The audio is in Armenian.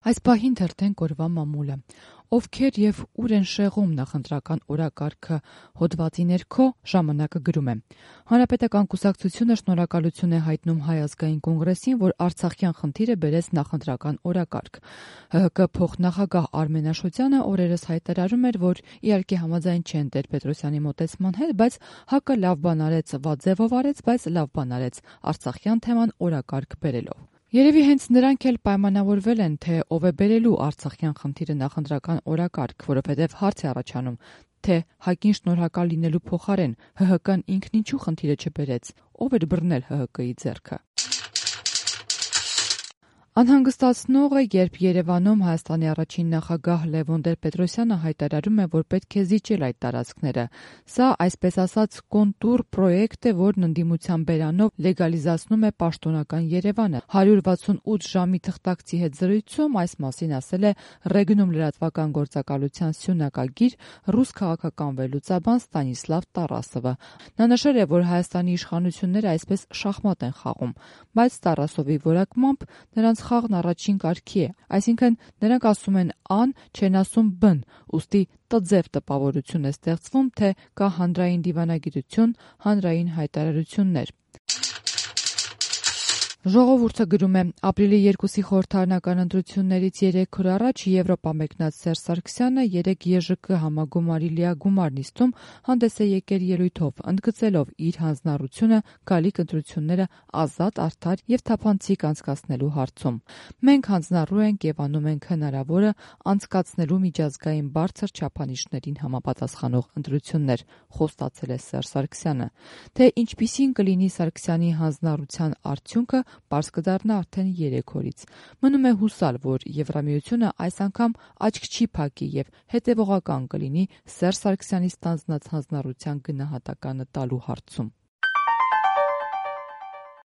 Այս պահին թերթենք օրվա մամուլը։ Ովքեր եւ ուր են շեղում նախընտրական օրակարգը հոդվածի ներքո ժամանակը գրում է. Հանրապետական կուսակցությունը շնորհակալություն է հայտնում Հայ ազգային կոնգրեսին, որ Արցախյան խնդիրը բերեց նախընտրական օրակարգ։ ՀՀԿ փոխնախագահ Արմեն Աշոտյանը օրերս հայտարարում էր, որ իհարկե համաձայն չեն Տեր-Պետրոսյանի մոտեցման հետ, բայց ՀՀԿ լավ բան արեց, վատ ձևով արեց, բայց լավ բան արեց Արցախյան թեման օրակարգ բերելով։ Երևի հենց նրանք էլ պայմանավորվել են, թե ով է բերելու Արցախյան խնդիրը նախընտրական օրակարգ, որովհետև հարց է առաջանում, թե ՀԱԿ-ին շնորհակալ լինելու փոխարեն ՀՀԿ-ն ինքն ինչու խնդիրը չբերեց, ով էր բռնել ՀՀԿ-ի ձեռքը։ Անհանգստացնող է, երբ Երևանում Հայաստանի առաջին նախագահ Լևոն Տեր-Պետրոսյանը հայտարարում է, որ պետք է զիջել այդ տարածքները։ Սա, այսպես ասած, կոնտուր պրոյեկտ է, որն ընդդիմության բերանով լեգալիզացնում է պաշտոնական Երևանը։ 168 ժամի թղթակցի հետ զրույցում այս մասին ասել է Ռեգնում լրատվական գործակալության սյունակագիր ռուս քաղաքական վերլուծաբան Ստանիսլավ Տարասովը։ Նա նշել է, որ Հայաստանի իշխանությունները այսպես շախմատ են խաղում, բայց Տարասովի որակմամբ նրանց խաղն առաջին կարգի է, այսինքն նրանք ասում են ան, չեն ասում բն, ուստի տձև տպավորություն է ստեղծվում, թե կա հանրային դիվանագիտություն, հանրային հայտարարություններ։ Ժողովուրդը գրում է. ապրիլի 2-ի խորհրդարանական ընտրություններից 3 օր առաջ Եվրոպա մեկնած Սերժ Սարգսյանը 3 ԵԺԿ համագումարի լիագումար նիստում հանդես է եկել ելույթով, ընդգծելով իր հանձնառությունը գալիք ընտրությունները ազատ, արդար եւ թափանցիկ անցկացնելու հարցում։ Մենք հանձնառու ենք եւ անում ենք հնարավորը անցկացնելու միջազգային բարձր չափանիշներին համապատասխանող ընտրություններ, խոստացել է Սերժ Սարգսյանը։ Թե ինչպիսին կլինի Սարգսյանի հանձնառության արդյունքը, պարզ կդառնա արդեն 3 օրից։ Մնում է հուսալ, որ Եվրամիությունը այս անգամ աչք չի փակի եւ հետեւողական կլինի Սերժ Սարգսյանի ստանձնած հանձնառության գնահատականը տալու հարցում։